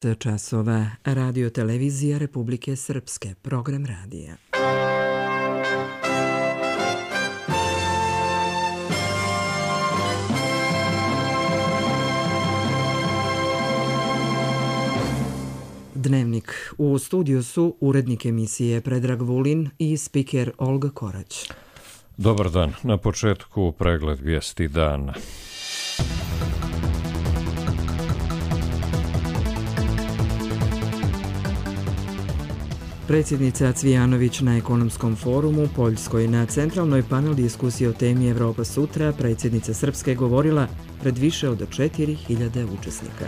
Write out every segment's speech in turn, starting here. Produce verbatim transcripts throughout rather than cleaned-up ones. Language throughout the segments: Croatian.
časova. Radio televizija Republike Srpske. Program radija. Dnevnik. U studiju su urednik emisije Predrag Vulin i spiker Olga Korać. Dobar dan. Na početku pregled vijesti dana. Predsjednica Cvijanović na ekonomskom forumu Poljskoj. Na centralnoj panel diskusiji o temi Evropa sutra predsjednica Srpske govorila pred više od četiri hiljade učesnika.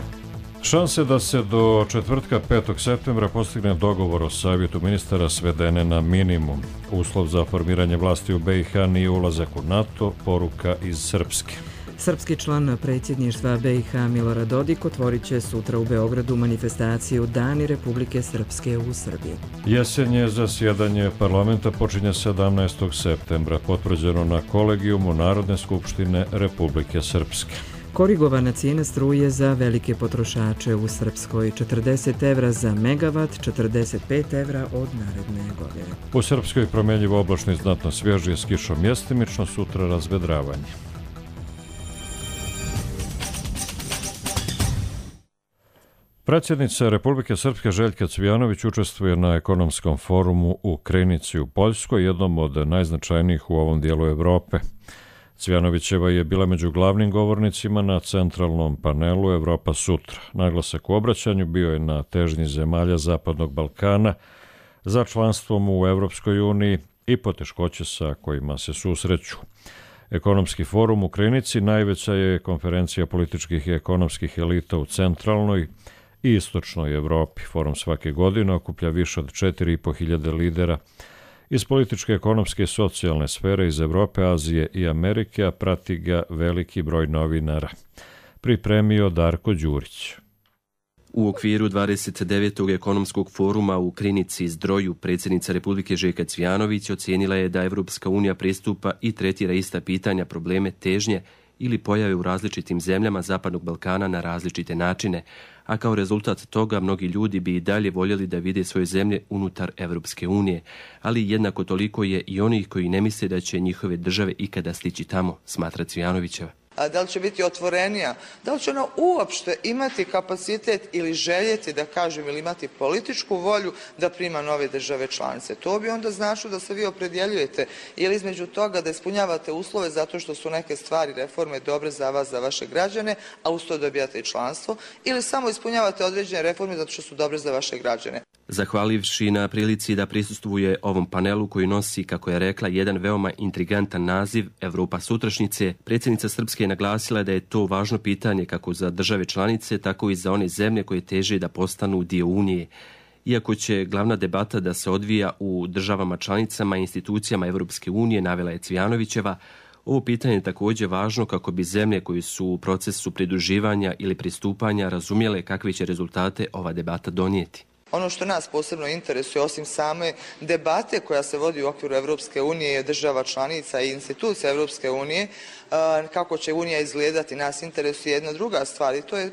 Šanse da se do četvrtka petog septembra postigne dogovor o savjetu ministara svedene na minimum. Uslov za formiranje vlasti u B i H nije ulazak u NATO, poruka iz Srpske. Srpski član predsjedništva B i H Milorad Dodik otvorit će sutra u Beogradu manifestaciju Dani Republike Srpske u Srbiji. Jesenje zasjedanje parlamenta počinje sedamnaestog septembra, potvrđeno na kolegijumu Narodne skupštine Republike Srpske. Korigovana cijena struje za velike potrošače u Srpskoj, četrdeset evra za megavat, četrdeset pet evra od naredne godine. U Srpskoj promjenjivo oblačno i znatno svježije s kišom mjestimično, sutra razvedravanje. Predsjednica Republike Srpske Željka Cvijanović učestvuje na ekonomskom forumu u Krynici u Poljskoj, jednom od najznačajnijih u ovom dijelu Evrope. Cvijanovićeva je bila među glavnim govornicima na centralnom panelu Evropa sutra. Naglasak u obraćanju bio je na težnji zemalja Zapadnog Balkana za članstvom u Evropskoj uniji i poteškoće sa kojima se susreću. Ekonomski forum u Krynici najveća je konferencija političkih i ekonomskih elita u centralnoj i istočnoj Evropi. Forum svake godine okuplja više od četiri i po hiljade lidera iz političke, ekonomske i socijalne sfere iz Evrope, Azije i Amerike, a prati ga veliki broj novinara. Pripremio Darko Đurić. U okviru dvadeset devetog ekonomskog foruma u Krynici Zdroju predsjednica Republike Željka Cvijanović ocijenila je da Evropska unija pristupa i tretira ista pitanja, probleme, težnje ili pojave u različitim zemljama Zapadnog Balkana na različite načine, a kao rezultat toga mnogi ljudi bi i dalje voljeli da vide svoje zemlje unutar Evropske unije, ali jednako toliko je i onih koji ne misle da će njihove države ikada stići tamo, smatra Cvijanovićeva. A da li će biti otvorenija, da li će ona uopšte imati kapacitet ili željeti, da kažem, ili imati političku volju da prima nove države članice. To bi onda značilo da se vi opredjeljujete ili između toga da ispunjavate uslove zato što su neke stvari, reforme dobre za vas, za vaše građane, a uz to dobijate i članstvo, ili samo ispunjavate određene reforme zato što su dobre za vaše građane. Zahvalivši na prilici da prisustvuje ovom panelu koji nosi, kako je rekla, jedan veoma intrigantan naziv Evropa sutrašnjice, predsjednica Srpske je naglasila da je to važno pitanje kako za države članice, tako i za one zemlje koje teže da postanu dio Unije. Iako će glavna debata da se odvija u državama članicama i institucijama Evropske unije, navela je Cvijanovićeva, ovo pitanje je također važno kako bi zemlje koje su u procesu pridruživanja ili pristupanja razumjele kakve će rezultate ova debata donijeti. Ono što nas posebno interesuje, osim same debate koja se vodi u okviru Evropske unije, država članica i institucija Evropske unije, kako će Unija izgledati, nas interesuje jedna druga stvar i to je,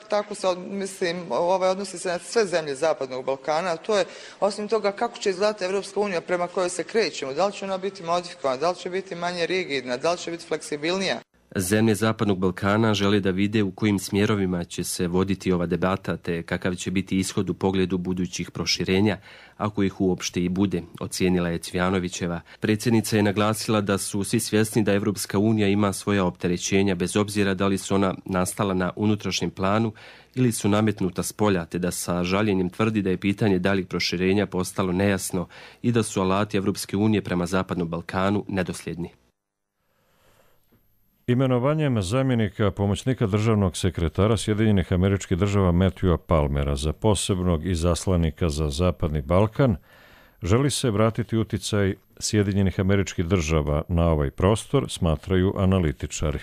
tako se, mislim, ovaj odnosi se na sve zemlje Zapadnog Balkana, a to je, osim toga, kako će izgledati Evropska unija prema kojoj se krećemo, da li će ona biti modifikovana, da li će biti manje rigidna, da li će biti fleksibilnija. Zemlje Zapadnog Balkana žele da vide u kojim smjerovima će se voditi ova debata, te kakav će biti ishod u pogledu budućih proširenja, ako ih uopšte i bude, ocijenila je Cvijanovićeva. Predsjednica je naglasila da su svi svjesni da Evropska unija ima svoja opterećenja, bez obzira da li su ona nastala na unutrašnjem planu ili su nametnuta s polja, te da sa žaljenjem tvrdi da je pitanje daljih proširenja postalo nejasno i da su alati Evropske unije prema Zapadnom Balkanu nedosljedni. Imenovanjem zamjenika pomoćnika državnog sekretara Sjedinjenih Američkih Država Matthewa Palmera za posebnog izaslanika za Zapadni Balkan želi se vratiti uticaj Sjedinjenih Američkih Država na ovaj prostor, smatraju analitičari.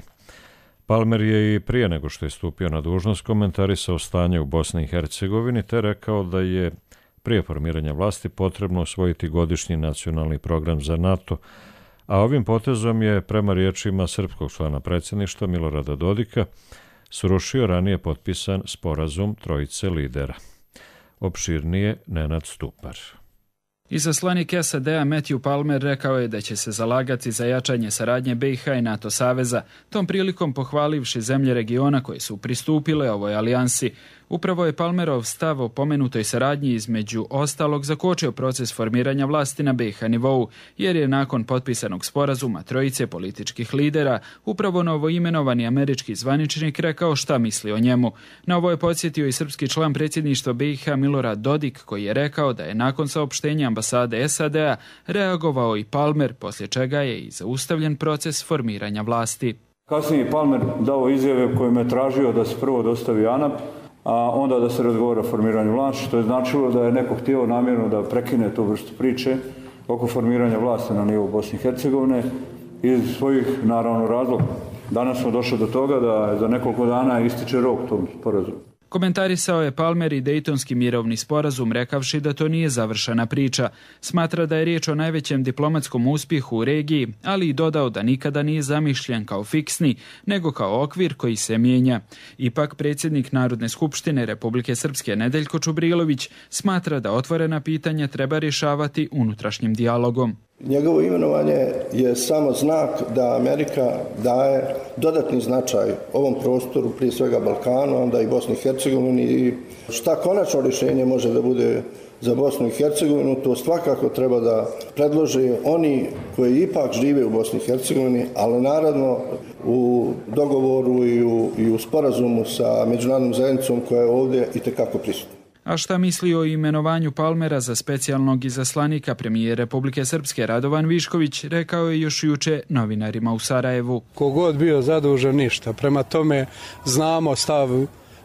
Palmer je i prije nego što je stupio na dužnost komentarisao stanje u Bosni i Hercegovini te rekao da je prije formiranja vlasti potrebno usvojiti godišnji nacionalni program za NATO, a ovim potezom je, prema riječima srpskog člana predsjedništva Milorada Dodika, srušio ranije potpisan sporazum trojice lidera. Opširnije Nenad Stupar. Izaslanik S A D-a Matthew Palmer rekao je da će se zalagati za jačanje saradnje B i H i NATO saveza, tom prilikom pohvalivši zemlje regiona koje su pristupile ovoj alijansi. Upravo je Palmerov stav o pomenutoj saradnji između ostalog zakočio proces formiranja vlasti na B i H nivou, jer je nakon potpisanog sporazuma trojice političkih lidera upravo novoimenovani američki zvaničnik rekao šta misli o njemu. Na ovo je podsjetio i srpski član predsjedništva B i H Milorad Dodik, koji je rekao da je nakon saopštenja ambasade S A D-a reagovao i Palmer, poslije čega je i zaustavljen proces formiranja vlasti. Kasnije je Palmer dao izjave kojim je tražio da se prvo dostavi ANAP, a onda da se razgovara o formiranju vlasti, što je značilo da je neko htio namjerno da prekine tu vrstu priče oko formiranja vlasti na nivou Bosne i Hercegovine iz svojih, naravno, razloga. Danas smo došli do toga da za nekoliko dana ističe rok tom sporazumu. Komentarisao je Palmer i Dejtonski mirovni sporazum, rekavši da to nije završena priča. Smatra da je riječ o najvećem diplomatskom uspjehu u regiji, ali i dodao da nikada nije zamišljen kao fiksni, nego kao okvir koji se mijenja. Ipak predsjednik Narodne skupštine Republike Srpske Nedeljko Čubrilović smatra da otvorena pitanja treba rješavati unutrašnjim dijalogom. Njegovo imenovanje je samo znak da Amerika daje dodatni značaj ovom prostoru, prije svega Balkanu, onda i Bosni i Hercegovini. I šta konačno rješenje može da bude za Bosnu i Hercegovinu, to svakako treba da predlože oni koji ipak žive u Bosni i Hercegovini, ali naravno u dogovoru i u, i u sporazumu sa međunarodnom zajednicom koja je ovdje itekako prisutna. A šta misli o imenovanju Palmera za specijalnog izaslanika premijer Republike Srpske Radovan Višković rekao je još juče novinarima u Sarajevu. Kogod bio zadužen ništa. Prema tome znamo stav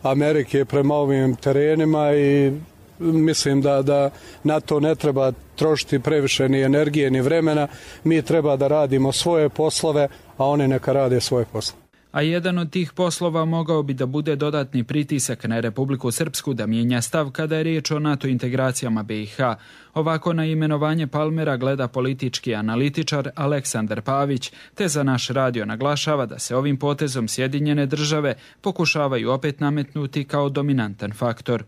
Amerike prema ovim terenima i mislim da, da na to ne treba trošiti previše ni energije ni vremena. Mi treba da radimo svoje poslove, a oni neka rade svoje poslove. A jedan od tih poslova mogao bi da bude dodatni pritisak na Republiku Srpsku da mijenja stav kada je riječ o NATO integracijama B i H. Ovako na imenovanje Palmera gleda politički analitičar Aleksandar Pavić, te za naš radio naglašava da se ovim potezom Sjedinjene države pokušavaju opet nametnuti kao dominantan faktor.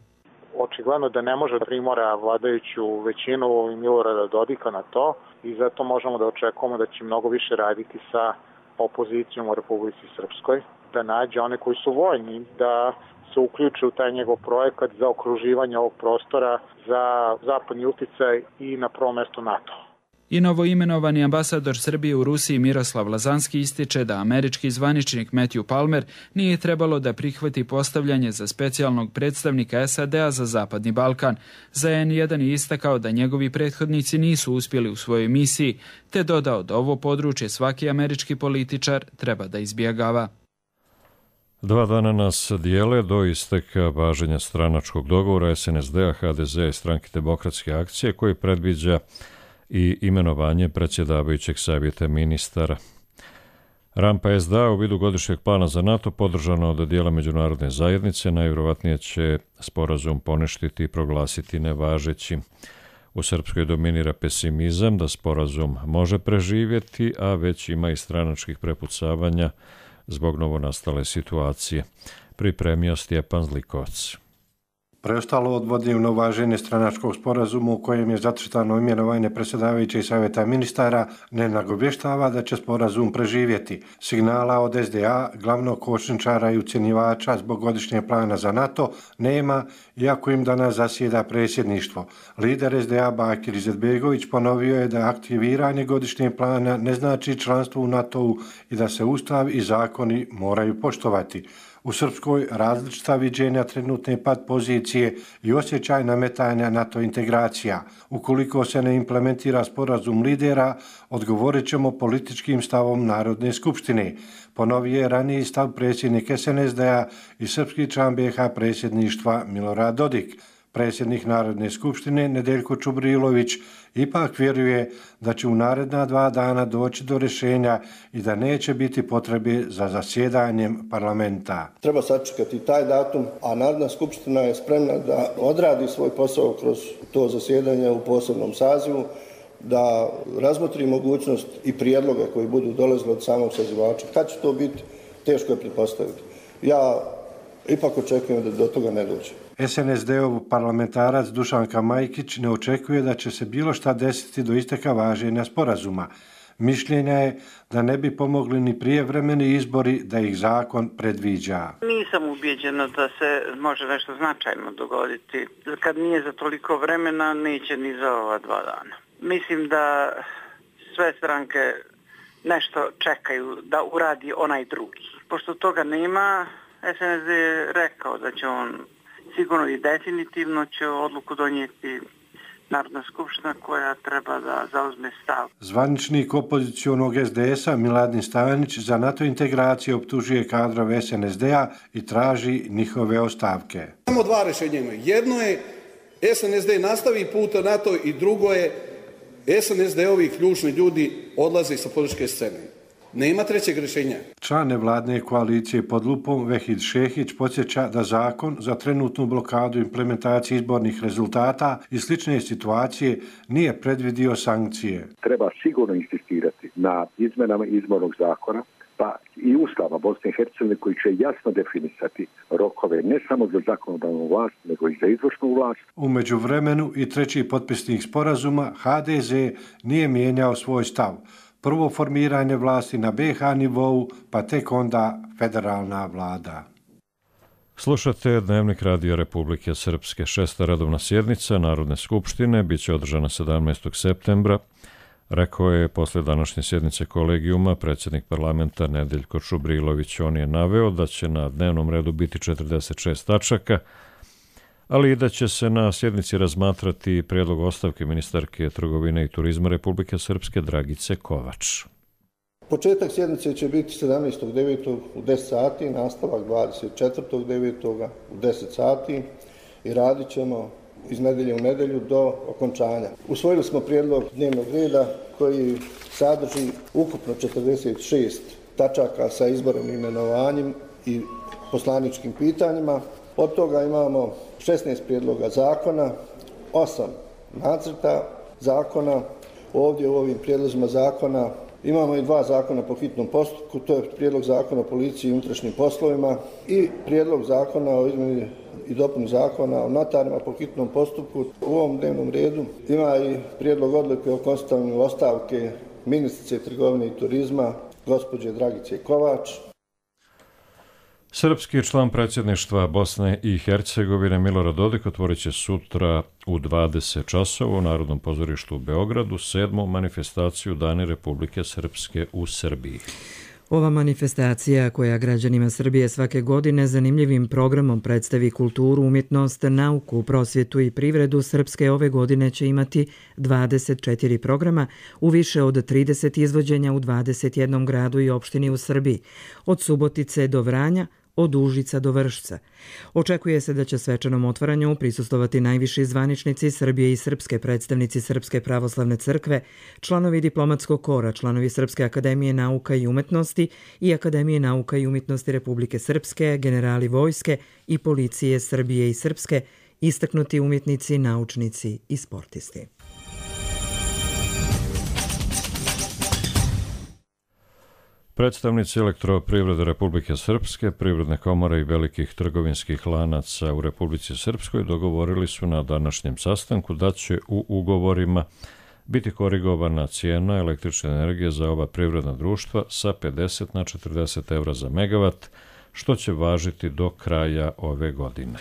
Očigledno da ne može da primora vladajuću većinu Milorada Dodika na to i zato možemo da očekujemo da će mnogo više raditi sa opozicijom u Republici Srpskoj, da nađe one koji su voljni, da se uključe u taj njegov projekat za okruživanje ovog prostora, za zapadni uticaj i na prvom mjestu NATO. I novoimenovani ambasador Srbije u Rusiji Miroslav Lazanski ističe da američki zvaničnik Matthew Palmer nije trebalo da prihvati postavljanje za specijalnog predstavnika S A D-a za Zapadni Balkan. Za N jedan je istakao da njegovi prethodnici nisu uspjeli u svojoj misiji, te dodao da ovo područje svaki američki političar treba da izbjegava. Dva dana nas dijele do isteka važenja stranačkog dogovora S N S D-a, H D Z-a i Stranke demokratske akcije koji predviđa i imenovanje predsjedavajućeg savjeta ministara. Rampa S D A u vidu godišnjeg plana za NATO podržano od dijela međunarodne zajednice najvjerovatnije će sporazum poništiti i proglasiti nevažećim. U Srpskoj dominira pesimizam da sporazum može preživjeti, a već ima i stranačkih prepucavanja zbog novonastale situacije. Pripremio Stjepan Zlikovac. Preostalo odvodi u novaženje stranačkog sporazuma u kojem je zacrtano imenovanje predsjedavajućeg savjeta ministara ne nagovještava da će sporazum preživjeti. Signala od S D A, glavnog kočničara i ucjenjivača zbog godišnjeg plana za NATO, nema, iako im danas zasjeda predsjedništvo. Lider S D A Bakir Izetbegović ponovio je da aktiviranje godišnjeg plana ne znači članstvo u NATO-u i da se ustav i zakoni moraju poštovati. U Srpskoj različita viđenja trenutne pad pozicije i osjećaj nametanja NATO integracija. Ukoliko se ne implementira sporazum lidera, odgovorit ćemo političkim stavom Narodne skupštine. Ponovio je raniji stav predsjednik S N S D-a i srpski član B H predsjedništva Milorad Dodik. Predsjednik Narodne skupštine Nedeljko Čubrilović ipak vjeruje da će u naredna dva dana doći do rješenja i da neće biti potrebe za zasjedanjem parlamenta. Treba sačekati taj datum, a Narodna skupština je spremna da odradi svoj posao kroz to zasjedanje u posebnom sazivu, da razmotri mogućnost i prijedloge koji budu dolazili od samog sazivača. Kad će to biti, teško je pretpostaviti. Ja ipak očekujem da do toga ne dođe. S N S D-ov parlamentarac Dušanka Majkić ne očekuje da će se bilo šta desiti do isteka važenja sporazuma. Mišljenja je da ne bi pomogli ni prijevremeni izbori da ih zakon predviđa. Nisam ubijeđena da se može nešto značajno dogoditi. Kad nije za toliko vremena, neće ni za ova dva dana. Mislim da sve stranke nešto čekaju da uradi onaj drugi. Pošto toga nema, S N S D je rekao da će on sigurno i definitivno će odluku donijeti Narodna skupština koja treba da zauzme stav. Zvaničnik opozicionog S D S-a Miladin Stajanić za NATO integracije optužuje kadrove S N S D-a i traži njihove ostavke. Samo dva rješenja imaju. Jedno je S N S D nastavi put na NATO i drugo je S N S D-ovi ključni ljudi odlaze sa političke scene. Nema trećeg rješenja. Član nevladne koalicije pod lupom Vehid Šehić podsjeća da zakon za trenutnu blokadu implementacije izbornih rezultata i slične situacije nije predvidio sankcije. Treba sigurno insistirati na izmenama izbornog zakona, pa i Ustava Bosne i Hercegovine koji će jasno definisati rokove ne samo za zakonodavnu vlast, nego i za izvršnu vlast. U međuvremenu i treći potpisnik sporazuma H D Z nije mijenjao svoj stav. Prvo formiranje vlasti na B H nivou, pa tek onda federalna vlada. Slušate Dnevnik Radio Republike Srpske. Šesta redovna sjednica Narodne skupštine biće održana sedamnaestog septembra. Rekao je posle današnje sjednice kolegijuma predsjednik parlamenta Nedeljko Čubrilović. On je naveo da će na dnevnom redu biti četrdeset šest tačaka, ali i da će se na sjednici razmatrati prijedlog ostavke ministarke trgovine i turizma Republike Srpske Dragice Kovač. Početak sjednice će biti sedamnaestog devetog u deset sati, nastavak dvadeset četvrtog devetog u deset sati i radit ćemo iz nedelje u nedelju do okončanja. Usvojili smo prijedlog dnevnog reda koji sadrži ukupno četrdeset šest tačaka sa izborom i imenovanjem i poslaničkim pitanjima. Od toga imamo šesnaest prijedloga zakona, osam nacrta zakona. Ovdje u ovim prijedlozima zakona imamo i dva zakona po hitnom postupku, to je prijedlog zakona o policiji i unutrašnjim poslovima i prijedlog zakona o izmjeni i dopuni zakona o notarima po hitnom postupku. U ovom dnevnom redu ima i prijedlog odluke o konstatovanju ostavke ministrice trgovine i turizma gospođe Dragice Kovač. Srpski član predsjedništva Bosne i Hercegovine Milorad Dodik otvorit će sutra u dvadeset časova u Narodnom pozorištu u Beogradu sedmu manifestaciju Dani Republike Srpske u Srbiji. Ova manifestacija koja građanima Srbije svake godine zanimljivim programom predstavi kulturu, umjetnost, nauku, prosvjetu i privredu Srpske ove godine će imati dvadeset četiri programa u više od trideset izvođenja u dvadeset jednom gradu i opštini u Srbiji, od Subotice do Vranja, od Užica do Vršca. Očekuje se da će svečanom otvaranju prisustovati najviši zvaničnici Srbije i srpske predstavnici Srpske pravoslavne crkve, članovi diplomatskog kora, članovi Srpske akademije nauka i umetnosti i Akademije nauka i umetnosti Republike Srpske, generali vojske i policije Srbije i Srpske, istaknuti umjetnici, naučnici i sportisti. Predstavnici Elektroprivrede Republike Srpske, Privredne komore i velikih trgovinskih lanaca u Republici Srpskoj dogovorili su na današnjem sastanku da će u ugovorima biti korigovana cijena električne energije za oba privredna društva sa pedeset na četrdeset evra za megavat, što će važiti do kraja ove godine.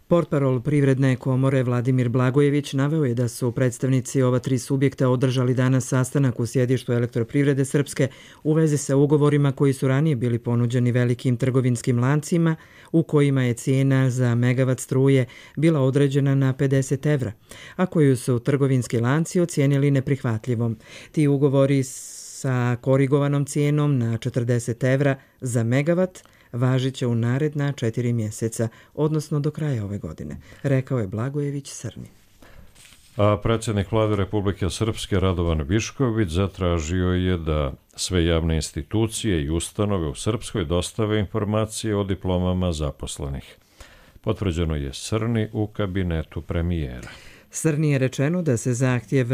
Portparol Privredne komore Vladimir Blagojević naveo je da su predstavnici ova tri subjekta održali danas sastanak u sjedištu Elektroprivrede Srpske u vezi sa ugovorima koji su ranije bili ponuđeni velikim trgovinskim lancima u kojima je cijena za megavat struje bila određena na pedeset evra, a koju su trgovinski lanci ocijenili neprihvatljivom. Ti ugovori sa korigovanom cijenom na četrdeset evra za megavat važit će u naredna četiri mjeseca, odnosno do kraja ove godine, rekao je Blagojević Srni. A predsjednik Vlade Republike Srpske Radovan Višković zatražio je da sve javne institucije i ustanove u Srpskoj dostave informacije o diplomama zaposlenih. Potvrđeno je Srni u kabinetu premijera. Srni je rečeno da se zahtjev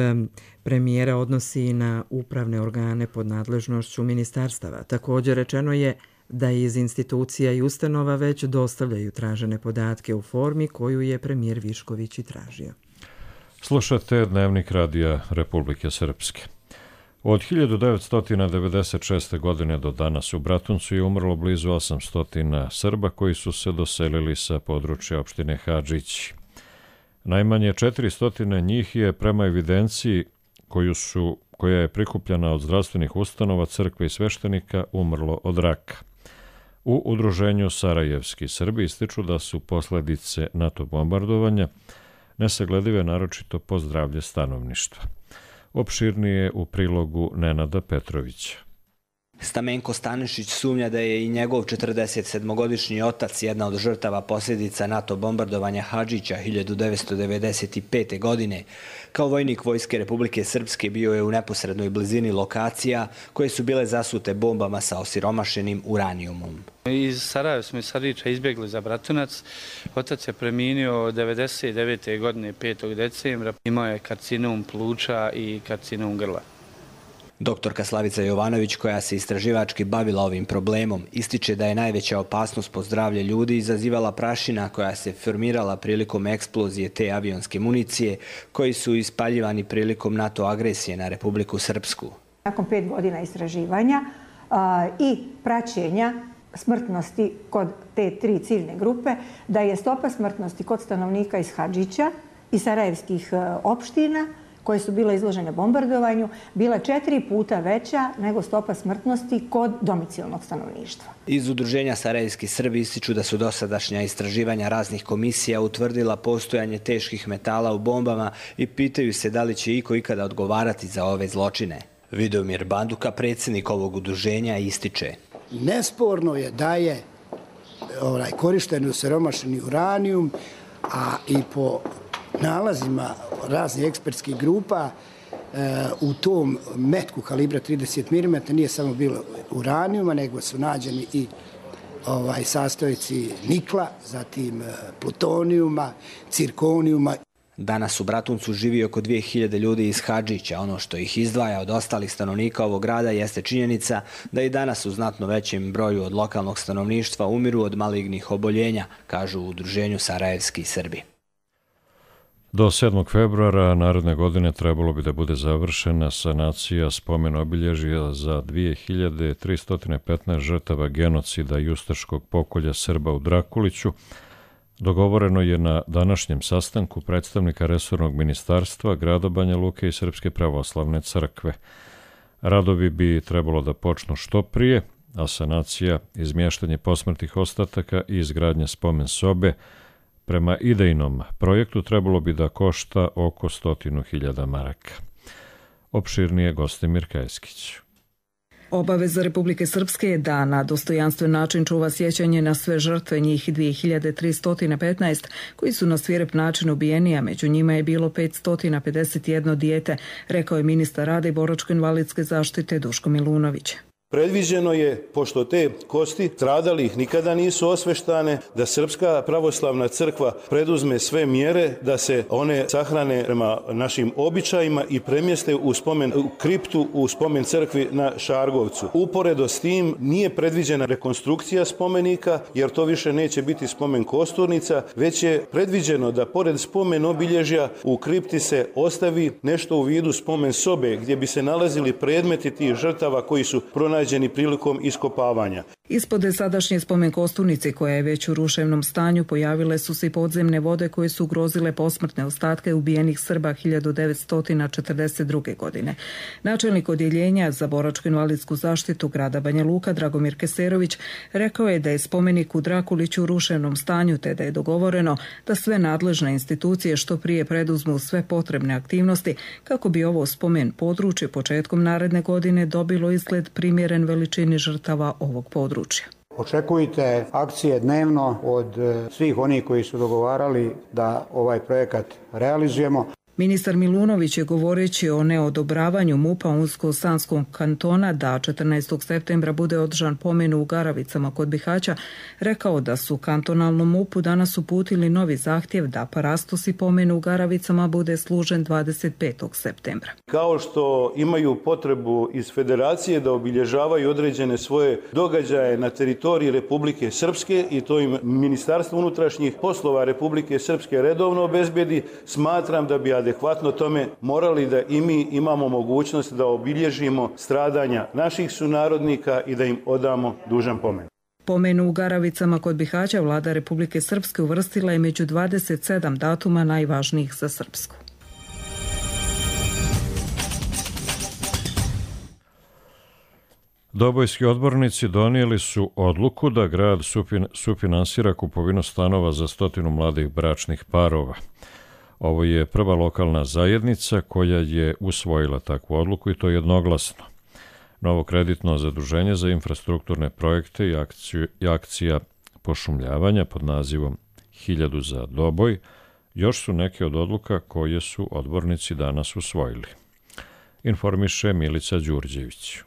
premijera odnosi na upravne organe pod nadležnošću ministarstava. Također rečeno je da iz institucija i ustanova već dostavljaju tražene podatke u formi koju je premijer Višković i tražio. Slušate Dnevnik Radija Republike Srpske. Od hiljadu devetsto devedeset šeste. godine do danas u Bratuncu je umrlo blizu osamsto Srba koji su se doselili sa područja opštine Hadžići. Najmanje četiristo njih je prema evidenciji koju su, koja je prikupljena od zdravstvenih ustanova, crkve i sveštenika umrlo od raka. U udruženju Sarajevski Srbi ističu da su posledice NATO bombardovanja nesagledive naročito po zdravlje stanovništva. Opširnije u prilogu Nenada Petrovića. Stamenko Stanišić sumnja da je i njegov četrdesetsedmogodišnji otac jedna od žrtava posljedica NATO bombardovanja Hadžića hiljadu devetsto devedeset pete. godine. Kao vojnik Vojske Republike Srpske bio je u neposrednoj blizini lokacija koje su bile zasute bombama sa osiromašenim uranijumom. Iz Sarajeva smo iz Sarajeva izbjegli za Bratunac. Otac je preminio devedeset devete. godine petog decembra. Imao je karcinom pluća i karcinom grla. Doktorka Slavica Jovanović, koja se istraživački bavila ovim problemom, ističe da je najveća opasnost po zdravlje ljudi izazivala prašina koja se formirala prilikom eksplozije te avionske municije koji su ispaljivani prilikom NATO agresije na Republiku Srpsku. Nakon pet godina istraživanja a, i praćenja smrtnosti kod te tri ciljne grupe, da je stopa smrtnosti kod stanovnika iz Hadžića i sarajevskih opština koje su bile izložene bombardovanju, bila četiri puta veća nego stopa smrtnosti kod domicilnog stanovništva. Iz udruženja Sarajevski Srbi ističu da su dosadašnja istraživanja raznih komisija utvrdila postojanje teških metala u bombama i pitaju se da li će iko ikada odgovarati za ove zločine. Vidomir Banduka, predsjednik ovog udruženja, ističe. Nesporno je da je ovaj, korišten osiromašeni uranijum, a i po nalazima raznih ekspertskih grupa e, u tom metku kalibra trideset milimetara nije samo bilo uranijuma, nego su nađeni i ovaj, sastojci nikla, zatim e, plutonijuma, cirkonijuma. Danas u Bratuncu živi oko dvije hiljade ljudi iz Hadžića. Ono što ih izdvaja od ostalih stanovnika ovog grada jeste činjenica da i danas u znatno većem broju od lokalnog stanovništva umiru od malignih oboljenja, kažu u udruženju Sarajevski Srbi. Do sedmog februara naredne godine trebalo bi da bude završena sanacija spomen obilježja za dvije hiljade tristo petnaest žrtava genocida i ustaškog pokolja Srba u Drakuliću. Dogovoreno je na današnjem sastanku predstavnika resornog ministarstva, grada Banja Luke i Srpske pravoslavne crkve. Radovi bi trebalo da počnu što prije, a sanacija, izmještanje posmrtnih ostataka i izgradnja spomen sobe prema idejnom projektu trebalo bi da košta oko stotinu hiljada maraka. Opširnije Gostimir Kajskić. Obaveza Republike Srpske je da na dostojanstven način čuva sjećanje na sve žrtve, njih dvije hiljade tristo petnaest, koji su na svirep način ubijeni, a među njima je bilo petsto pedeset jedno dijete, rekao je ministar rada i boračko-invalidske zaštite Duško Milunović. Predviđeno je, pošto te kosti stradalih nikada nisu osveštane, da Srpska pravoslavna crkva preduzme sve mjere da se one sahrane prema našim običajima i premjeste u spomen u kriptu u spomen crkvi na Šargovcu. Uporedo s tim nije predviđena rekonstrukcija spomenika, jer to više neće biti spomen kosturnica, već je predviđeno da pored spomen obilježja u kripti se ostavi nešto u vidu spomen sobe gdje bi se nalazili predmeti tih žrtava koji su pronađeni prilikom iskopavanja. Ispod sadašnje spomen kosturnice, koja je već u ruševnom stanju, pojavile su se i podzemne vode koje su ugrozile posmrtne ostatke ubijenih Srba hiljadu devetsto četrdeset druge. godine. Načelnik odjeljenja za boračko-invalidsku zaštitu grada Banja Luka, Dragomir Keserović, rekao je da je spomenik u Drakuliću u ruševnom stanju, te da je dogovoreno da sve nadležne institucije što prije preduzmu sve potrebne aktivnosti kako bi ovo spomen područje početkom naredne godine dobilo izgled primjeren veličini žrtava ovog područja. Očekujte akcije dnevno od svih onih koji su dogovarali da ovaj projekat realizujemo. Ministar Milunović je govoreći o neodobravanju M U P-a Unsko-Sanskog kantona da četrnaestog septembra bude održan pomen u Garavicama kod Bihaća, rekao da su kantonalnom M U P-u danas uputili novi zahtjev da parastosi pomen u Garavicama bude služen dvadeset petog septembra. Kao što imaju potrebu iz federacije da obilježavaju određene svoje događaje na teritoriji Republike Srpske i to im Ministarstvo unutrašnjih poslova Republike Srpske redovno obezbedi, smatram da bi adekvatno tome morali da i mi imamo mogućnost da obilježimo stradanja naših sunarodnika i da im odamo dužan pomen. Pomen u Garavicama kod Bihaća vlada Republike Srpske uvrstila je među dvadeset sedam datuma najvažnijih za Srpsku. Dobojski odbornici donijeli su odluku da grad sufinansira kupovinu stanova za stotinu mladih bračnih parova. Ovo je prva lokalna zajednica koja je usvojila takvu odluku i to jednoglasno. Novo kreditno zaduženje za infrastrukturne projekte i, akciju, i akcija pošumljavanja pod nazivom Hiljadu za Doboj još su neke od odluka koje su odbornici danas usvojili. Informiše Milica Đurđević.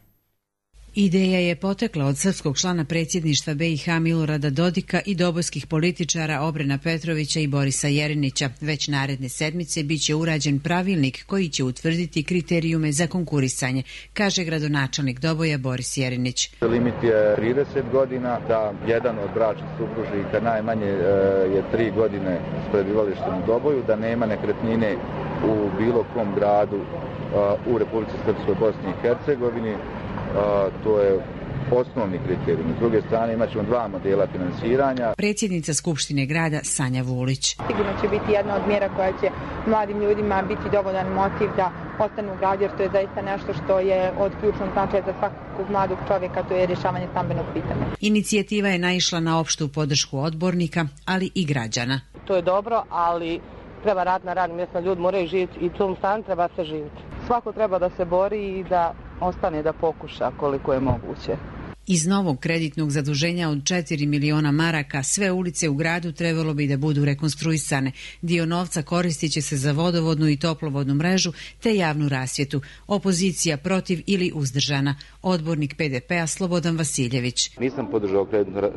Ideja je potekla od srpskog člana predsjedništva B i H Milorada Dodika i dobojskih političara Obrena Petrovića i Borisa Jerinića. Već naredne sedmice biće urađen pravilnik koji će utvrditi kriterijume za konkurisanje, kaže gradonačelnik Doboja Boris Jerinić. Limit je trideset godina, da jedan od bračnih supružnika najmanje je tri godine s prebivalištem u Doboju, da nema nekretnine u bilo kom gradu u Republici Srpskoj, Bosni i Hercegovini. Uh, to je osnovni kriterijum. S druge strane imat ćemo dva modela finansiranja. Predsjednica Skupštine grada Sanja Vulić. Sigurno će biti jedna od mjera koja će mladim ljudima biti dovoljan motiv da ostanu u gradu, jer to je zaista nešto što je od ključnog značaja za svakog mladog čovjeka, to je rješavanje stambenog pitanja. Inicijativa je naišla na opštu podršku odbornika, ali i građana. To je dobro, ali treba rad na radnim mjestima, ljudi moraju živjeti i u tom stanu treba se živjeti. Svako treba da se bori i da ostane da pokuša koliko je moguće. Iz novog kreditnog zaduženja od četiri miliona maraka sve ulice u gradu trebalo bi da budu rekonstruisane. Dio novca koristit će se za vodovodnu i toplovodnu mrežu te javnu rasvjetu. Opozicija protiv ili uzdržana. Odbornik P D P-a Slobodan Vasiljević. Nisam podržao kreditno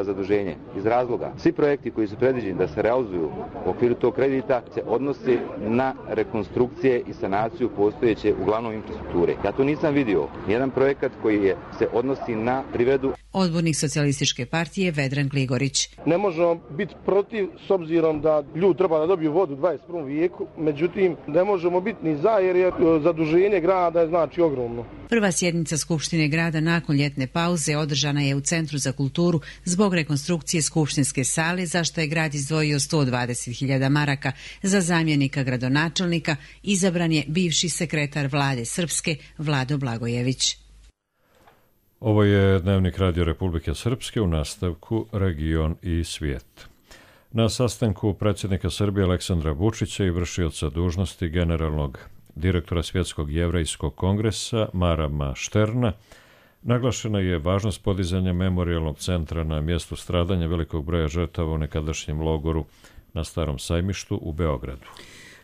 zaduženje iz razloga. Svi projekti koji su predviđeni da se realizuju u okviru tog kredita se odnosi na rekonstrukcije i sanaciju postojeće uglavnom infrastrukture. Ja to nisam vidio. Nijedan projekat koji je, se odnosi na privredu. Odbornik Socijalističke partije Vedran Gligorić. Ne možemo biti protiv s obzirom da ljudi treba da dobiju vodu u dvadeset prvom vijeku, međutim ne možemo biti ni za jer je zaduženje grada je znači ogromno. Prva sjednica Skupštine grada nakon ljetne pauze održana je u Centru za kulturu zbog rekonstrukcije skupštinske sale, za što je grad izdvojio sto dvadeset hiljada maraka. Za zamjenika gradonačelnika izabran je bivši sekretar vlade Srpske Vlado Blagojević. Ovo je Dnevnik Radio Republike Srpske, u nastavku Region i svijet. Na sastanku predsjednika Srbije Aleksandra Vučića i vršioca dužnosti generalnog direktora Svjetskog jevrejskog kongresa Marama Šterna naglašena je važnost podizanja memorijalnog centra na mjestu stradanja velikog broja žrtava u nekadašnjem logoru na Starom sajmištu u Beogradu.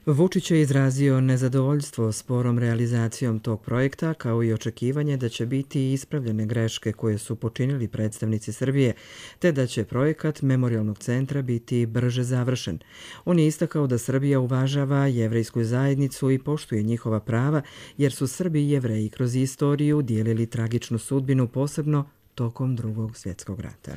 Vučić je izrazio nezadovoljstvo sporom realizacijom tog projekta, kao i očekivanje da će biti ispravljene greške koje su počinili predstavnici Srbije, te da će projekat memorijalnog centra biti brže završen. On je istakao da Srbija uvažava jevrejsku zajednicu i poštuje njihova prava, jer su Srbi i Jevreji kroz istoriju dijelili tragičnu sudbinu, posebno tokom Drugog svjetskog rata.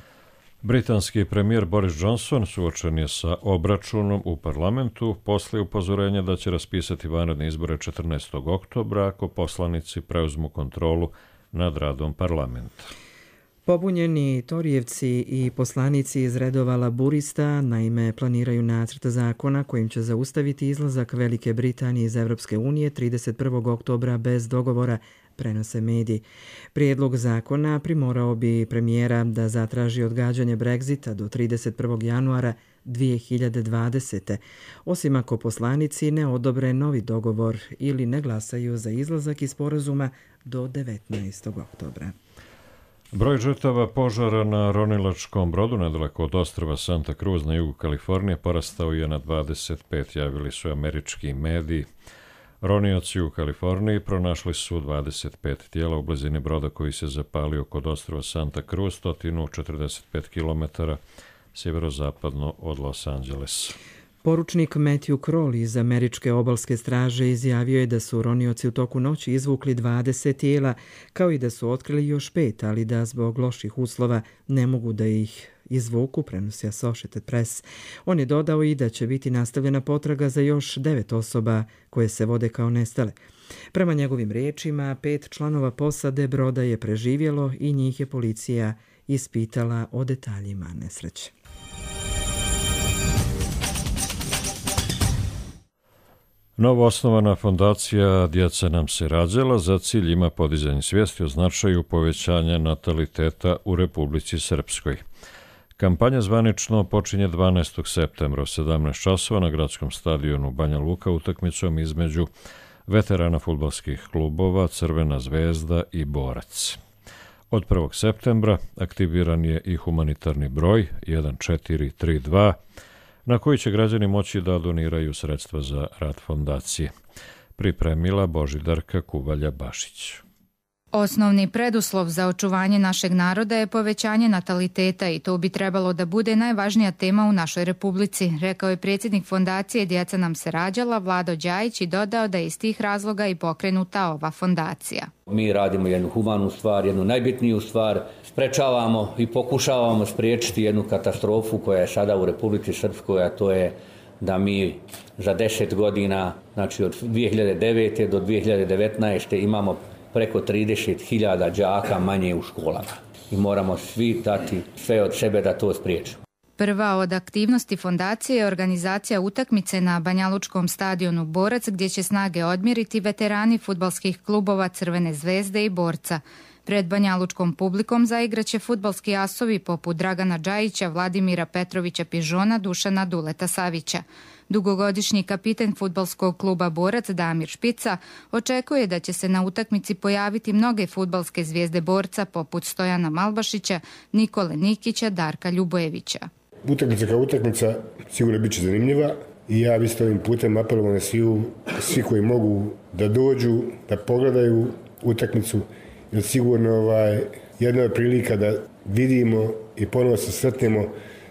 Britanski premijer Boris Johnson suočen je sa obračunom u parlamentu posle upozorenja da će raspisati vanredne izbore četrnaestog oktobra ako poslanici preuzmu kontrolu nad radom parlamenta. Pobunjeni Torijevci i poslanici iz redova laburista naime planiraju nacrt zakona kojim će zaustaviti izlazak Velike Britanije iz Evropske unije trideset prvog oktobra bez dogovora, prenose mediji. Prijedlog zakona primorao bi premijera da zatraži odgađanje Brexita do trideset prvog januara dvije hiljade dvadesete. Osim ako poslanici ne odobre novi dogovor ili ne glasaju za izlazak iz sporazuma do devetnaestog oktobra. Broj žrtava požara na ronilačkom brodu nedaleko od ostrva Santa Cruz na jugu Kalifornije porastao je na dvadeset pet, javili su američki mediji. Ronioci u Kaliforniji pronašli su dvadeset pet tijela u blizini broda koji se zapalio kod ostrva Santa Cruz, sto četrdeset pet kilometara sjeverozapadno od Los Angelesa. Poručnik Matthew Crowley iz američke obalske straže izjavio je da su ronioci u toku noći izvukli dvadeset tijela, kao i da su otkrili još pet, ali da zbog loših uslova ne mogu da ih izvuku, prenosi Associated Press. On je dodao i da će biti nastavljena potraga za još devet osoba koje se vode kao nestale. Prema njegovim riječima, pet članova posade broda je preživjelo i njih je policija ispitala o detaljima nesreće. Novo osnovana fondacija Djeca nam se rađala za cilj ima podizanje svijesti o značaju povećanja nataliteta u Republici Srpskoj. Kampanja zvanično počinje dvanaestog septembra u sedamnaest časova na gradskom stadionu Banja Luka utakmicom između veterana fudbalskih klubova Crvena zvezda i Borac. Od prvog septembra aktiviran je i humanitarni broj jedan četiri tri dva na koji će građani moći da doniraju sredstva za rad fondacije. Pripremila Božidarka Kuvalja-Bašić. Osnovni preduslov za očuvanje našeg naroda je povećanje nataliteta i to bi trebalo da bude najvažnija tema u našoj republici, rekao je predsjednik fondacije Djeca nam se rađala Vlado Đajić i dodao da je iz tih razloga i pokrenuta ova fondacija. Mi radimo jednu humanu stvar, jednu najbitniju stvar, sprečavamo i pokušavamo spriječiti jednu katastrofu koja je sada u Republici Srpskoj, a to je da mi za deset godina, znači od dvije hiljade devete do dvije hiljade devetnaeste imamo preko trideset hiljada đaka manje u školama i moramo svi dati sve od sebe da to spriječimo. Prva od aktivnosti fondacije je organizacija utakmice na banjalučkom stadionu Borac gdje će snage odmjeriti veterani fudbalskih klubova Crvene zvezde i Borca. Pred banjalučkom publikom zaigraće fudbalski asovi poput Dragana Džajića, Vladimira Petrovića Pižona, Dušana Duleta Savića. Dugogodišnji kapiten fudbalskog kluba Borac Damir Špica očekuje da će se na utakmici pojaviti mnoge fudbalske zvijezde Borca poput Stojana Malbašića, Nikole Nikića, Darka Ljubojevića. Utakmica kao utakmica sigurno bit će zanimljiva i ja bi ovim putem apelovao na svi, svi koji mogu da dođu, da pogledaju utakmicu, jer sigurno ovaj, jedna je prilika da vidimo i ponovo se sretnemo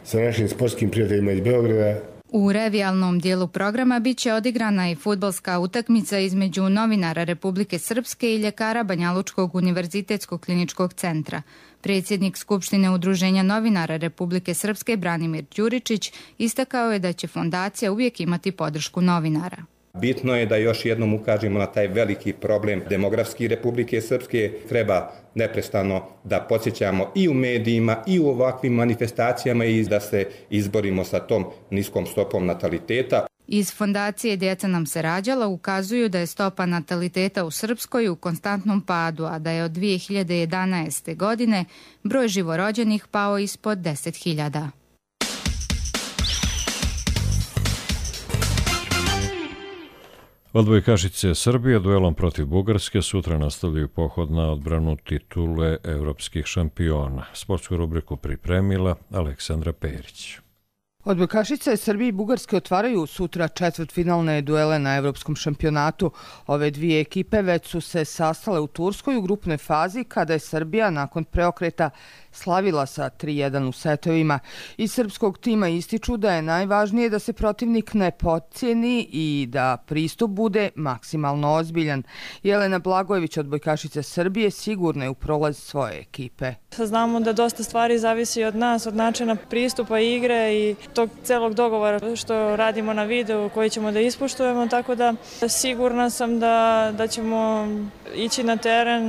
sa našim sportskim prijateljima iz Beograda. U revijalnom dijelu programa bit će odigrana i fudbalska utakmica između novinara Republike Srpske i ljekara Banjalučkog univerzitetskog kliničkog centra. Predsjednik Skupštine Udruženja novinara Republike Srpske Branimir Đuričić istakao je da će fondacija uvijek imati podršku novinara. Bitno je da još jednom ukažemo na taj veliki problem demografski Republike Srpske. Treba neprestano da podsjećamo i u medijima i u ovakvim manifestacijama i da se izborimo sa tom niskom stopom nataliteta. Iz fondacije Djeca nam se rađala ukazuju da je stopa nataliteta u Srpskoj u konstantnom padu, a da je od dvije hiljade jedanaeste. godine broj živorođenih pao ispod deset hiljada. Odbojkašice Srbije duelom protiv Bugarske sutra nastavljaju pohod na odbranu titule evropskih šampiona. Sportsku rubriku pripremila Aleksandra Perić. Odbojkašice Srbije i Bugarske otvaraju sutra četvrtfinalne duele na evropskom šampionatu. Ove dvije ekipe već su se sastale u Turskoj u grupnoj fazi kada je Srbija nakon preokreta slavila sa tri jedan u setovima. Iz srpskog tima ističu da je najvažnije da se protivnik ne potcijeni i da pristup bude maksimalno ozbiljan. Jelena Blagojević, odbojkašica Srbije, sigurna je u prolaz svoje ekipe. Znamo da dosta stvari zavisi od nas, od načina pristupa igre i tog celog dogovora što radimo na videu koji ćemo da ispoštujemo, tako da sigurna sam da, da ćemo ići na teren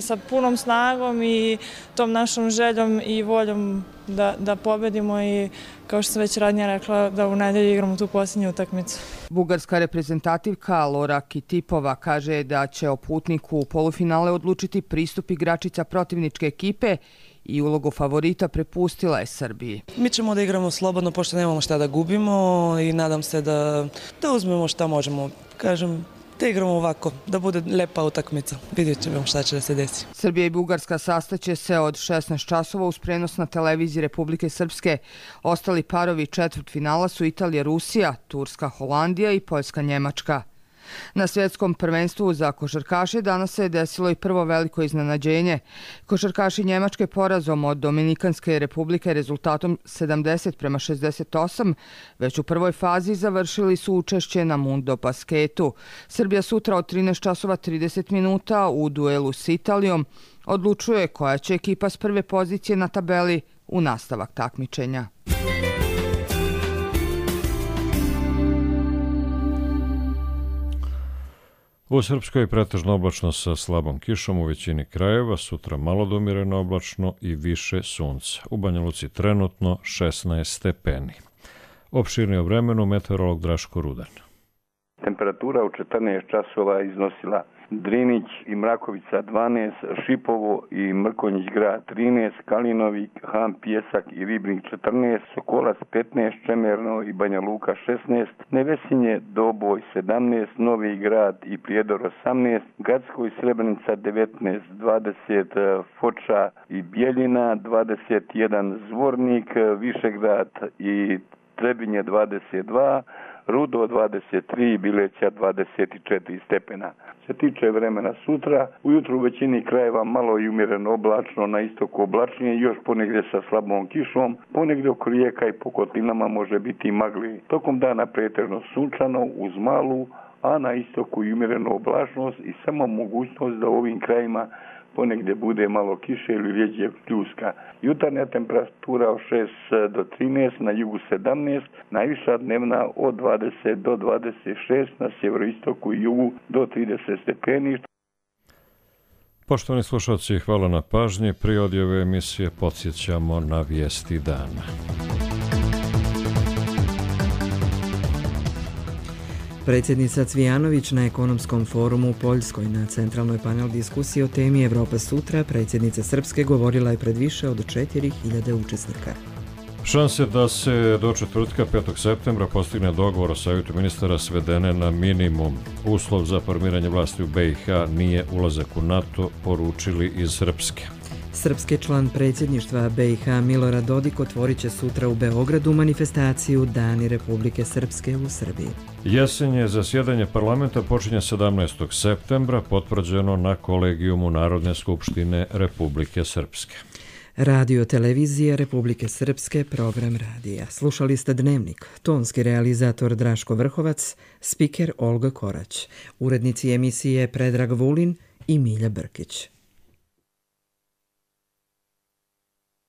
sa punom snagom i tom našom željom i voljom da, da pobedimo i kao što sam već ranije rekla da u nedelju igramo tu posljednju utakmicu. Bugarska reprezentativka Lora Kitipova kaže da će o putniku u polufinale odlučiti pristup igračica protivničke ekipe i ulogu favorita prepustila je Srbiji. Mi ćemo da igramo slobodno pošto nemamo šta da gubimo i nadam se da, da uzmemo šta možemo. Kažem, da igramo ovako, da bude lepa utakmica. Vidjet ćemo šta će da se desi. Srbija i Bugarska sastaće se od šesnaest časova uz prenos na televiziji Republike Srpske. Ostali parovi četvrtfinala su Italija, Rusija, Turska, Holandija i Poljska, Njemačka. Na svjetskom prvenstvu za košarkaše danas se desilo i prvo veliko iznenađenje. Košarkaši Njemačke porazom od Dominikanske republike rezultatom sedamdeset prema šezdeset osam već u prvoj fazi završili su učešće na Mundo basketu. Srbija sutra od trinaest časova trideset minuta u duelu s Italijom odlučuje koja će ekipa s prve pozicije na tabeli u nastavak takmičenja. U Srpskoj pretežno oblačno sa slabom kišom u većini krajeva, sutra malo do umjereno oblačno i više sunca. U Banja Luci trenutno šesnaest stepeni. Opširnije o vremenu meteorolog Draško Rudan. Temperatura u četrnaest časova iznosila Drinić i Mrakovica dvanaest, Šipovo i Mrkonjić grad trinaest, Kalinovik, Han, Pjesak i Ribnik četrnaest, Sokolac petnaest, Čemerno i Banja Luka šesnaest, Nevesinje, Doboj sedamnaest, Novi grad i Prijedor osamnaest, Gacko i Srebrenica devetnaest, dvadeset, Foča i Bjeljina dvadeset jedan, Zvornik, Višegrad i Trebinje dvadeset dva, Rudo dvadeset tri, Bileća dvadeset četiri stepena. Se tiče vremena sutra, ujutru u većini krajeva malo i umjereno oblačno, na istoku oblačnije, još ponegdje sa slabom kišom, ponegdje oko rijeka i po kotlinama može biti magli. Tokom dana pretežno sunčano uz malu, a na istoku i umjerenu oblačnost i samo mogućnost da u ovim krajima ponegdje bude malo kiše ili rjeđe pljuska. Jutarnja temperatura od šest do trinaest, na jugu sedamnaest, najviša dnevna od dvadeset do dvadeset šest, na sjeveroistoku i jugu do trideset stepeni. Poštovani slušalci, hvala na pažnji. Prije odjave emisije podsjećamo na vijesti dana. Predsjednica Cvijanović na ekonomskom forumu u Poljskoj na centralnoj panel diskusiji o temi Evropa sutra predsjednica Srpske govorila je pred više od četiri hiljade učesnika. Šanse da se do četvrtka petog septembra postigne dogovor o savjetu ministara svedene na minimum. Uslov za formiranje vlasti u B i H nije ulazak u NATO, poručili iz Srpske. Srpski član predsjedništva B i H Milorad Dodik otvorit će sutra u Beogradu manifestaciju Dani Republike Srpske u Srbiji. Jesenje zasjedanje parlamenta počinje sedamnaestog septembra, potvrđeno na kolegijumu Narodne skupštine Republike Srpske. Radio televizija Republike Srpske, program radija. Slušali ste Dnevnik, tonski realizator Draško Vrhovac, spiker Olga Korać, urednici emisije Predrag Vulin i Milja Brkić.